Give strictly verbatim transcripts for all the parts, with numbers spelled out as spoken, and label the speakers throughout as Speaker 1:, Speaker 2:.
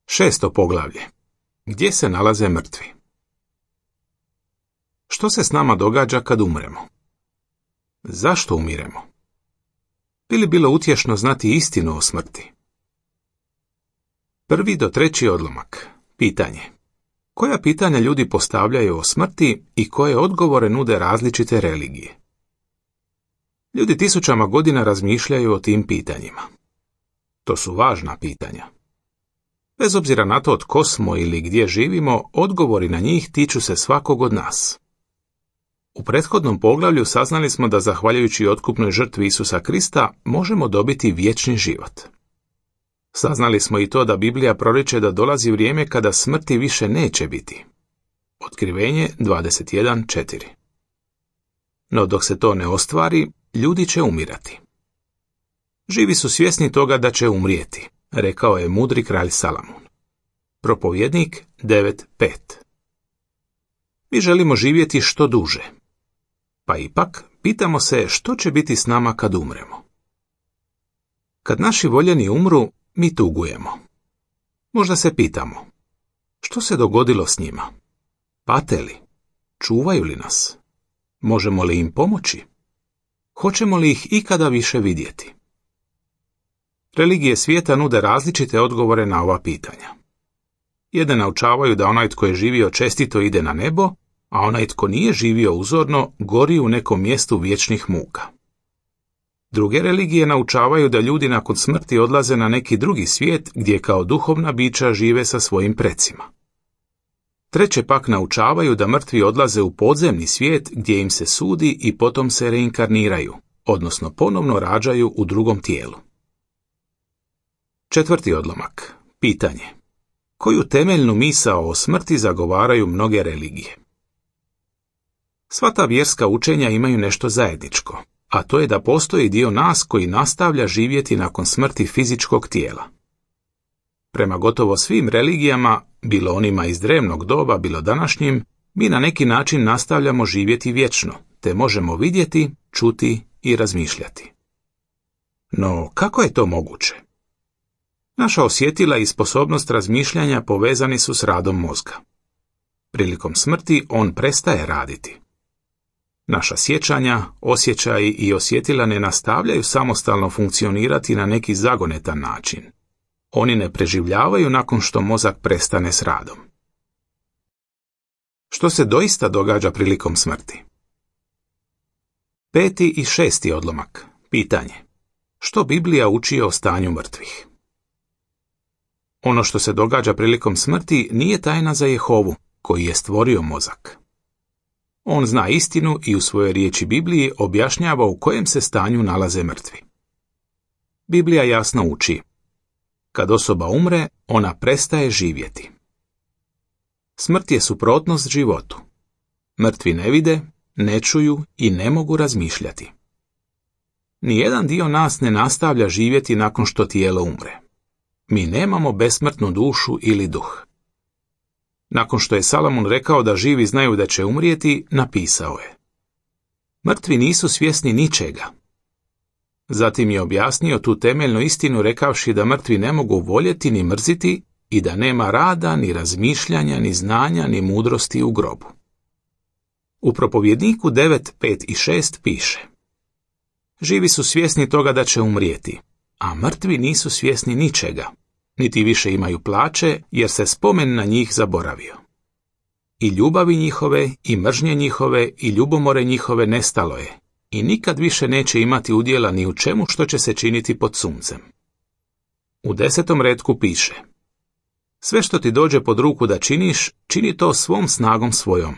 Speaker 1: Šesto poglavlje. Gdje se nalaze mrtvi? Što se s nama događa kad umremo? Zašto umiremo? Bi li bilo utješno znati istinu o smrti? Prvi do treći odlomak. Pitanje. Koja pitanja ljudi postavljaju o smrti i koje odgovore nude različite religije? Ljudi tisućama godina razmišljaju o tim pitanjima. To su važna pitanja. Bez obzira na to tko smo ili gdje živimo, odgovori na njih tiču se svakog od nas. U prethodnom poglavlju saznali smo da zahvaljujući otkupnoj žrtvi Isusa Krista možemo dobiti vječni život. Saznali smo i to da Biblija proriče da dolazi vrijeme kada smrti više neće biti. Otkrivenje dvadeset jedan četiri. No dok se to ne ostvari, ljudi će umirati. Živi su svjesni toga da će umrijeti, rekao je mudri kralj Salamun. Propovjednik devet pet. Mi želimo živjeti što duže. Pa ipak, pitamo se što će biti s nama kad umremo. Kad naši voljeni umru, mi tugujemo. Možda se pitamo, što se dogodilo s njima? Pate li? Čuvaju li nas? Možemo li im pomoći? Hoćemo li ih ikada više vidjeti? Religije svijeta nude različite odgovore na ova pitanja. Jedne naučavaju da onaj tko je živio čestito ide na nebo, a onaj tko nije živio uzorno gori u nekom mjestu vječnih muka. Druge religije naučavaju da ljudi nakon smrti odlaze na neki drugi svijet gdje kao duhovna bića žive sa svojim precima. Treće pak naučavaju da mrtvi odlaze u podzemni svijet gdje im se sudi i potom se reinkarniraju, odnosno ponovno rađaju u drugom tijelu. Četvrti odlomak. Pitanje. Koju temeljnu misao o smrti zagovaraju mnoge religije? Sva ta vjerska učenja imaju nešto zajedničko, a to je da postoji dio nas koji nastavlja živjeti nakon smrti fizičkog tijela. Prema gotovo svim religijama, bilo onima iz drevnog doba, bilo današnjim, mi na neki način nastavljamo živjeti vječno, te možemo vidjeti, čuti i razmišljati. No, kako je to moguće? Naša osjetila i sposobnost razmišljanja povezani su s radom mozga. Prilikom smrti on prestaje raditi. Naša sjećanja, osjećaji i osjetila ne nastavljaju samostalno funkcionirati na neki zagonetan način. Oni ne preživljavaju nakon što mozak prestane s radom. Što se doista događa prilikom smrti? Peti i šesti odlomak. Pitanje. Što Biblija uči o stanju mrtvih? Ono što se događa prilikom smrti nije tajna za Jehovu, koji je stvorio mozak. On zna istinu i u svojoj riječi Bibliji objašnjava u kojem se stanju nalaze mrtvi. Biblija jasno uči. Kad osoba umre, ona prestaje živjeti. Smrt je suprotnost životu. Mrtvi ne vide, ne čuju i ne mogu razmišljati. Nijedan dio nas ne nastavlja živjeti nakon što tijelo umre. Mi nemamo besmrtnu dušu ili duh. Nakon što je Salamun rekao da živi znaju da će umrijeti, napisao je. Mrtvi nisu svjesni ničega. Zatim je objasnio tu temeljnu istinu rekavši da mrtvi ne mogu voljeti ni mrziti i da nema rada, ni razmišljanja, ni znanja, ni mudrosti u grobu. U propovjedniku devet pet i šest piše. Živi su svjesni toga da će umrijeti, a mrtvi nisu svjesni ničega, niti više imaju plaće, jer se spomen na njih zaboravio. I ljubavi njihove, i mržnje njihove, i ljubomore njihove nestalo je, i nikad više neće imati udjela ni u čemu što će se činiti pod suncem. U desetom retku piše. Sve što ti dođe pod ruku da činiš, čini to svom snagom svojom,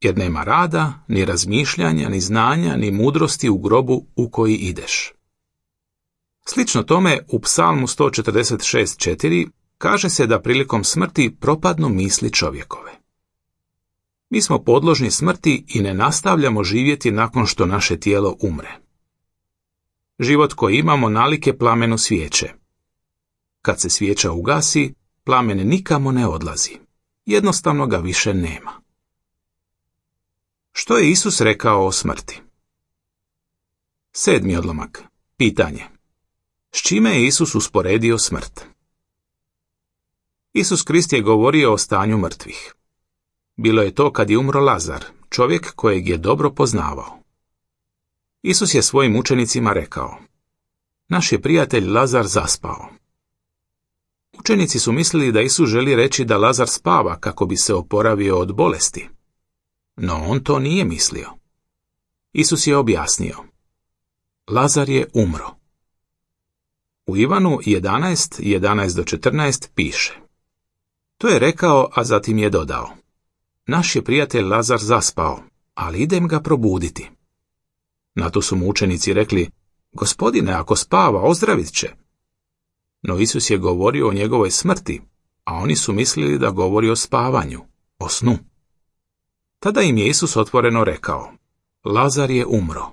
Speaker 1: jer nema rada, ni razmišljanja, ni znanja, ni mudrosti u grobu u koji ideš. Slično tome, u Psalmu sto četrdeset šest četiri kaže se da prilikom smrti propadnu misli čovjekove. Mi smo podložni smrti i ne nastavljamo živjeti nakon što naše tijelo umre. Život koji imamo nalike plamenu svijeće. Kad se svijeća ugasi, plamen nikamo ne odlazi. Jednostavno ga više nema. Što je Isus rekao o smrti? Sedmi odlomak. Pitanje. S čime je Isus usporedio smrt? Isus Krist je govorio o stanju mrtvih. Bilo je to kad je umro Lazar, čovjek kojeg je dobro poznavao. Isus je svojim učenicima rekao: naš je prijatelj Lazar zaspao. Učenici su mislili da Isus želi reći da Lazar spava kako bi se oporavio od bolesti. No on to nije mislio. Isus je objasnio: Lazar je umro. U Ivanu jedanaest, jedanaest do četrnaest piše: to je rekao, a zatim je dodao: naš je prijatelj Lazar zaspao, ali idem ga probuditi. Na to su mu učenici rekli: Gospodine, ako spava, ozdravit će. No Isus je govorio o njegovoj smrti, a oni su mislili da govori o spavanju, o snu. Tada im je Isus otvoreno rekao: Lazar je umro.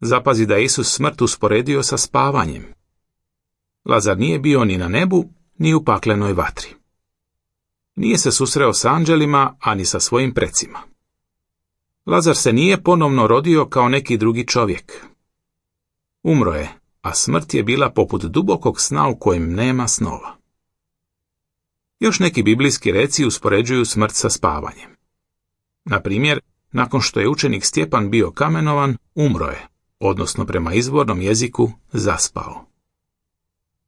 Speaker 1: Zapazi da je Isus smrt usporedio sa spavanjem. Lazar nije bio ni na nebu, ni u paklenoj vatri. Nije se susreo s anđelima, ani sa svojim precima. Lazar se nije ponovno rodio kao neki drugi čovjek. Umro je, a smrt je bila poput dubokog sna u kojem nema snova. Još neki biblijski reci uspoređuju smrt sa spavanjem. Na primjer, nakon što je učenik Stjepan bio kamenovan, umro je, odnosno prema izvornom jeziku zaspao.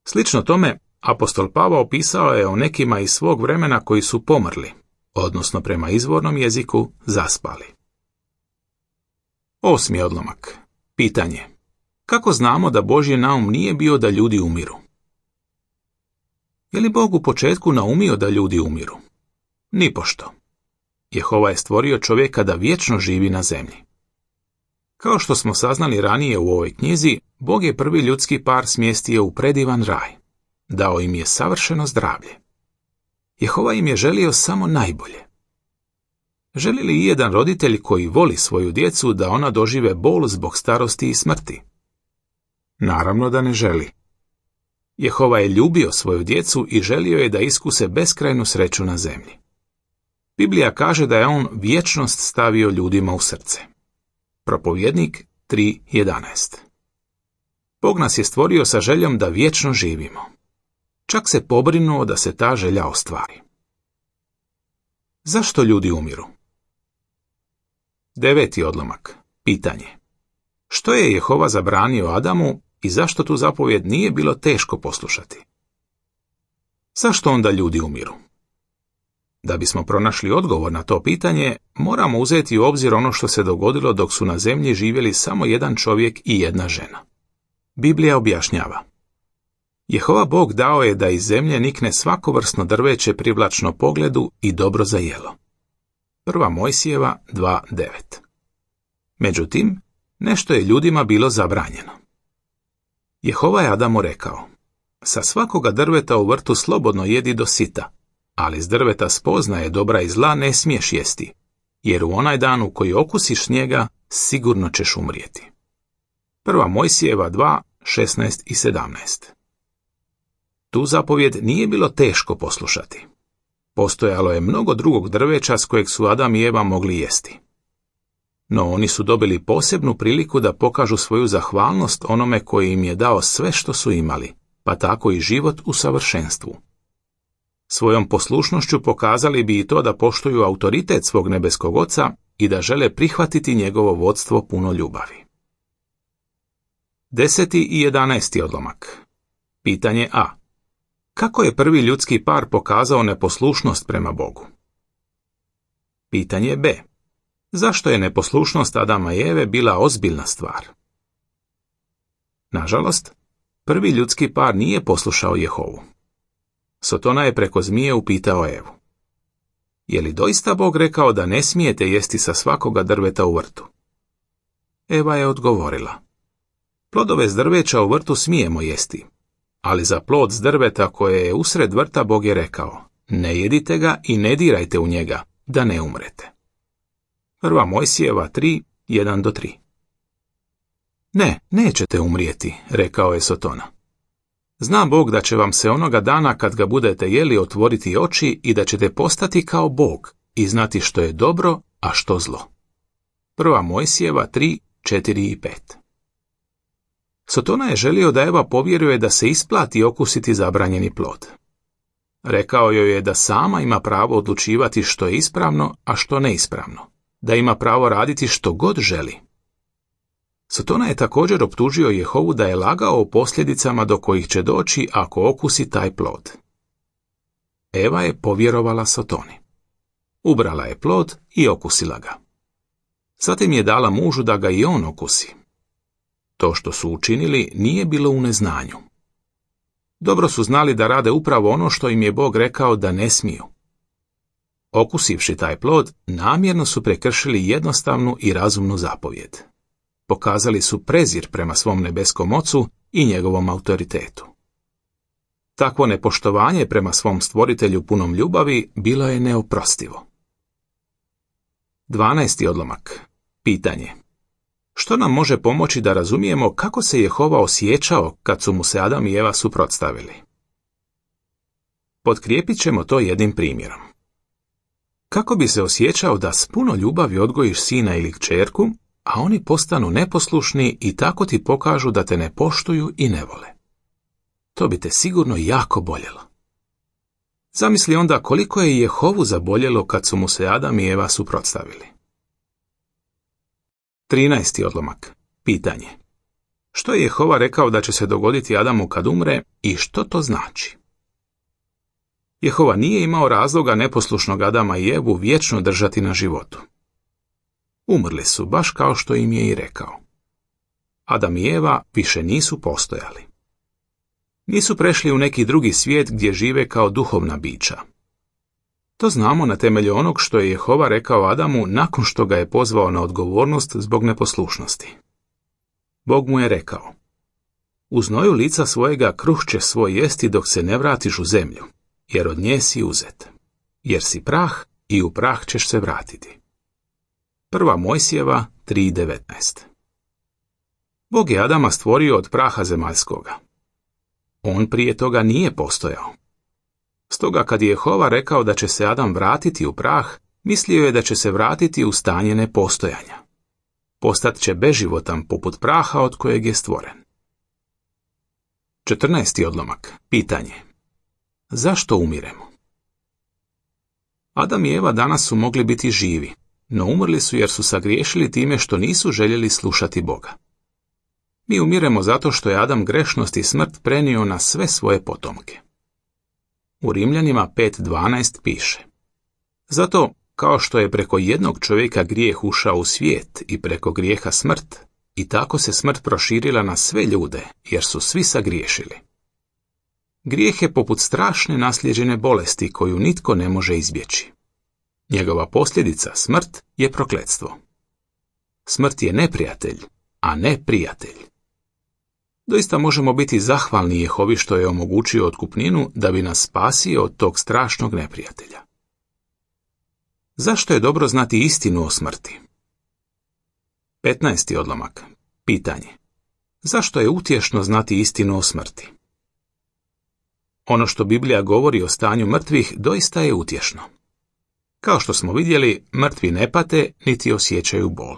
Speaker 1: Slično tome, apostol Pavao opisao je o nekima iz svog vremena koji su pomrli, odnosno prema izvornom jeziku zaspali. Osmi odlomak. Pitanje: kako znamo da Božji naum nije bio da ljudi umiru? Je li Bog u početku naumio da ljudi umiru? Nipošto. Jehova je stvorio čovjeka da vječno živi na zemlji. Kao što smo saznali ranije u ovoj knjizi, Bog je prvi ljudski par smjestio u predivan raj. Dao im je savršeno zdravlje. Jehova im je želio samo najbolje. Želi li ijedan roditelj koji voli svoju djecu da ona dožive bol zbog starosti i smrti? Naravno da ne želi. Jehova je ljubio svoju djecu i želio je da iskuse beskrajnu sreću na zemlji. Biblija kaže da je on vječnost stavio ljudima u srce. Propovjednik tri jedanaest. Bog nas je stvorio sa željom da vječno živimo. Čak se pobrinuo da se ta želja ostvari. Zašto ljudi umiru? Deveti odlomak. Pitanje: što je Jehova zabranio Adamu i zašto tu zapovjed nije bilo teško poslušati? Zašto onda ljudi umiru? Da bismo pronašli odgovor na to pitanje, moramo uzeti u obzir ono što se dogodilo dok su na zemlji živjeli samo jedan čovjek i jedna žena. Biblija objašnjava: Jehova Bog dao je da iz zemlje nikne svakovrsno drveće privlačno pogledu i dobro za jelo. Prva Mojsijeva dva devet. Međutim, nešto je ljudima bilo zabranjeno. Jehova je Adamu rekao: sa svakoga drveta u vrtu slobodno jedi do sita, ali s drveta spoznaje dobra i zla ne smiješ jesti, jer u onaj dan u koji okusiš njega, sigurno ćeš umrijeti. Prva Mojsijeva dva šesnaest i sedamnaest. Tu zapovjed nije bilo teško poslušati. Postojalo je mnogo drugog drveća s kojeg su Adam i Eva mogli jesti. No oni su dobili posebnu priliku da pokažu svoju zahvalnost onome koji im je dao sve što su imali, pa tako i život u savršenstvu. Svojom poslušnošću pokazali bi i to da poštuju autoritet svog nebeskog Oca i da žele prihvatiti njegovo vodstvo puno ljubavi. Deseti i jedanaesti odlomak. Pitanje A. Kako je prvi ljudski par pokazao neposlušnost prema Bogu? Pitanje B. Zašto je neposlušnost Adama i Eve bila ozbiljna stvar? Nažalost, prvi ljudski par nije poslušao Jehovu. Sotona je preko zmije upitao Evu: je li doista Bog rekao da ne smijete jesti sa svakoga drveta u vrtu? Eva je odgovorila: plodove s drveća u vrtu smijemo jesti, ali za plod s drveta koje je usred vrta Bog je rekao: ne jedite ga i ne dirajte u njega, da ne umrete. Prva Mojsijeva tri jedan do tri. Ne, nećete umrijeti, rekao je Sotona. Zna Bog da će vam se onoga dana kad ga budete jeli otvoriti oči i da ćete postati kao Bog i znati što je dobro, a što zlo. Prva Mojsijeva tri četiri i pet. Sotona je želio da Eva povjeruje da se isplati okusiti zabranjeni plod. Rekao joj je da sama ima pravo odlučivati što je ispravno, a što neispravno, da ima pravo raditi što god želi. Sotona je također optužio Jehovu da je lagao o posljedicama do kojih će doći ako okusi taj plod. Eva je povjerovala Sotoni. Ubrala je plod i okusila ga. Zatim je dala mužu da ga i on okusi. To što su učinili nije bilo u neznanju. Dobro su znali da rade upravo ono što im je Bog rekao da ne smiju. Okusivši taj plod, namjerno su prekršili jednostavnu i razumnu zapovjed. Pokazali su prezir prema svom nebeskom ocu i njegovom autoritetu. Takvo nepoštovanje prema svom stvoritelju punom ljubavi bilo je neoprostivo. dvanaesti odlomak. Pitanje. Što nam može pomoći da razumijemo kako se Jehova osjećao kad su mu se Adam i Eva suprotstavili? Potkrijepit ćemo to jednim primjerom. Kako bi se osjećao da s puno ljubavi odgojiš sina ili kćerku, a oni postanu neposlušni i tako ti pokažu da te ne poštuju i ne vole? To bi te sigurno jako boljelo. Zamisli onda koliko je Jehovu zaboljelo kad su mu se Adam i Eva suprotstavili. trinaesti odlomak. Pitanje. Što je Jehova rekao da će se dogoditi Adamu kad umre i što to znači? Jehova nije imao razloga neposlušnog Adama i Evu vječno držati na životu. Umrli su baš kao što im je i rekao. Adam i Eva više nisu postojali. Nisu prešli u neki drugi svijet gdje žive kao duhovna bića. To znamo na temelju onog što je Jehova rekao Adamu nakon što ga je pozvao na odgovornost zbog neposlušnosti. Bog mu je rekao: u znoju lica svojega kruh ćeš svoj jesti dok se ne vratiš u zemlju, jer od nje si uzet. Jer si prah i u prah ćeš se vratiti. Prva Mojsijeva tri devetnaest. Bog je Adama stvorio od praha zemaljskoga. On prije toga nije postojao. Stoga kad je Jehova rekao da će se Adam vratiti u prah, mislio je da će se vratiti u stanje nepostojanja. Postat će beživotan poput praha od kojeg je stvoren. četrnaesti odlomak. Pitanje. Zašto umiremo? Adam i Eva danas su mogli biti živi, no umrli su jer su sagriješili time što nisu željeli slušati Boga. Mi umiremo zato što je Adam grešnost i smrt prenio na sve svoje potomke. U Rimljanima pet dvanaest piše: zato, kao što je preko jednog čovjeka grijeh ušao u svijet i preko grijeha smrt, i tako se smrt proširila na sve ljude, jer su svi sagriješili. Grijeh je poput strašne naslijeđene bolesti koju nitko ne može izbjeći. Njegova posljedica, smrt, je prokletstvo. Smrt je neprijatelj, a ne prijatelj. Doista možemo biti zahvalni Jehovi što je omogućio otkupninu da bi nas spasio od tog strašnog neprijatelja. Zašto je dobro znati istinu o smrti? petnaesti odlomak. Pitanje. Zašto je utješno znati istinu o smrti? Ono što Biblija govori o stanju mrtvih doista je utješno. Kao što smo vidjeli, mrtvi ne pate niti osjećaju bol.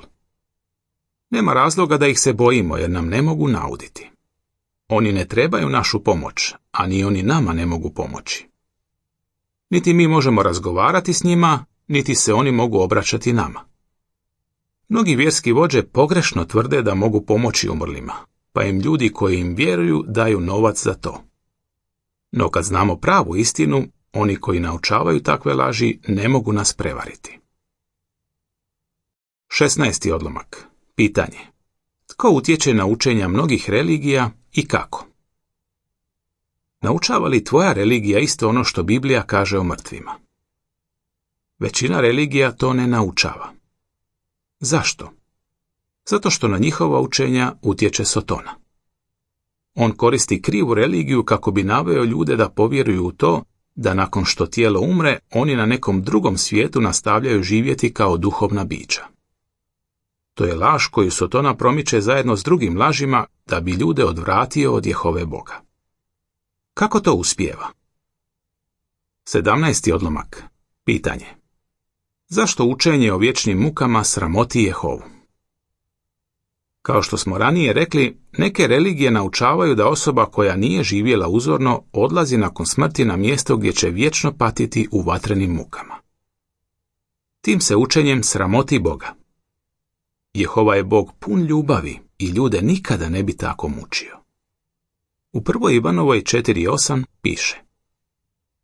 Speaker 1: Nema razloga da ih se bojimo jer nam ne mogu nauditi. Oni ne trebaju našu pomoć, a ni oni nama ne mogu pomoći. Niti mi možemo razgovarati s njima, niti se oni mogu obraćati nama. Mnogi vjerski vođe pogrešno tvrde da mogu pomoći umrlima, pa im ljudi koji im vjeruju daju novac za to. No kad znamo pravu istinu, oni koji naučavaju takve laži ne mogu nas prevariti. šesnaesti odlomak. Pitanje. Tko utječe na učenja mnogih religija i kako? Naučava li tvoja religija isto ono što Biblija kaže o mrtvima? Većina religija to ne naučava. Zašto? Zato što na njihova učenja utječe Sotona. On koristi krivu religiju kako bi naveo ljude da povjeruju u to da nakon što tijelo umre, oni na nekom drugom svijetu nastavljaju živjeti kao duhovna bića. To je laž koju Sotona promiče zajedno s drugim lažima da bi ljude odvratio od Jehove Boga. Kako to uspijeva? sedamnaesti odlomak. Pitanje. Zašto učenje o vječnim mukama sramoti Jehovu? Kao što smo ranije rekli, neke religije naučavaju da osoba koja nije živjela uzorno odlazi nakon smrti na mjesto gdje će vječno patiti u vatrenim mukama. Tim se učenjem sramoti Boga. Jehova je Bog pun ljubavi i ljude nikada ne bi tako mučio. U prvoj Ivanovoj četiri osam piše: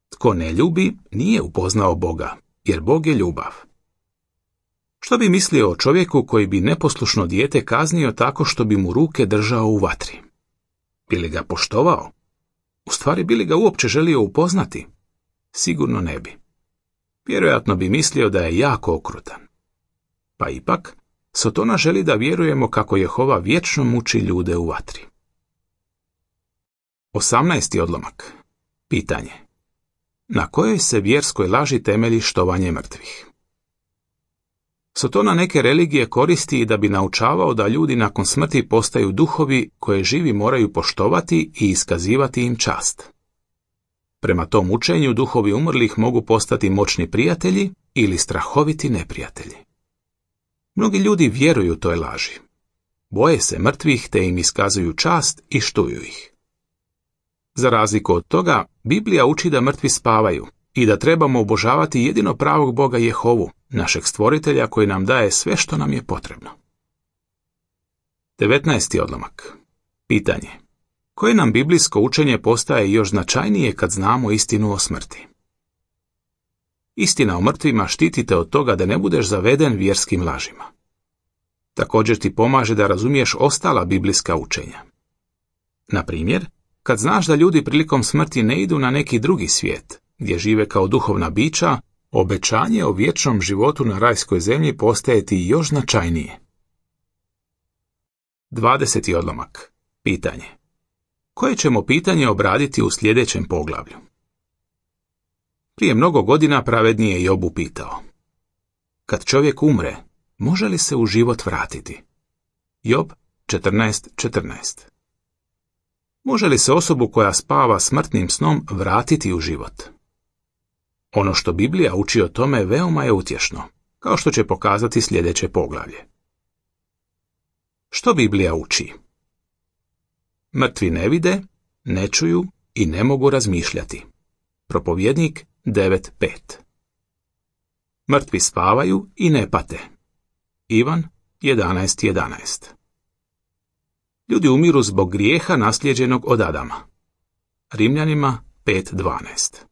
Speaker 1: Tko ne ljubi, nije upoznao Boga, jer Bog je ljubav. Što bi mislio o čovjeku koji bi neposlušno dijete kaznio tako što bi mu ruke držao u vatri? Bi li ga poštovao? U stvari, bi li ga uopće želio upoznati? Sigurno ne bi. Vjerojatno bi mislio da je jako okrutan. Pa ipak, Sotona želi da vjerujemo kako Jehova vječno muči ljude u vatri. osamnaesti odlomak. Pitanje: na kojoj se vjerskoj laži temelji štovanje mrtvih? Sotona neke religije koristi da bi naučavao da ljudi nakon smrti postaju duhovi koje živi moraju poštovati i iskazivati im čast. Prema tom učenju duhovi umrlih mogu postati moćni prijatelji ili strahoviti neprijatelji. Mnogi ljudi vjeruju toj laži. Boje se mrtvih te im iskazuju čast i štuju ih. Za razliku od toga, Biblija uči da mrtvi spavaju i da trebamo obožavati jedino pravog Boga Jehovu, našeg stvoritelja koji nam daje sve što nam je potrebno. devetnaesti odlomak. Pitanje: koje nam biblijsko učenje postaje još značajnije kad znamo istinu o smrti? Istina o mrtvima štiti te od toga da ne budeš zaveden vjerskim lažima. Također ti pomaže da razumiješ ostala biblijska učenja. Na primjer, kad znaš da ljudi prilikom smrti ne idu na neki drugi svijet, gdje žive kao duhovna bića, obećanje o vječnom životu na rajskoj zemlji postaje ti još značajnije. dvadeseti odlomak. Pitanje: koje ćemo pitanje obraditi u sljedećem poglavlju? Prije mnogo godina pravedni je Job upitao: kad čovjek umre, može li se u život vratiti? Job četrnaest četrnaest. Može li se osobu koja spava smrtnim snom vratiti u život? Ono što Biblija uči o tome veoma je utješno, kao što će pokazati sljedeće poglavlje. Što Biblija uči? Mrtvi ne vide, ne čuju i ne mogu razmišljati. Propovjednik devet pet. Mrtvi spavaju i ne pate. Ivan jedanaest jedanaest. Ljudi umiru zbog grijeha naslijeđenog od Adama. Rimljanima pet dvanaest.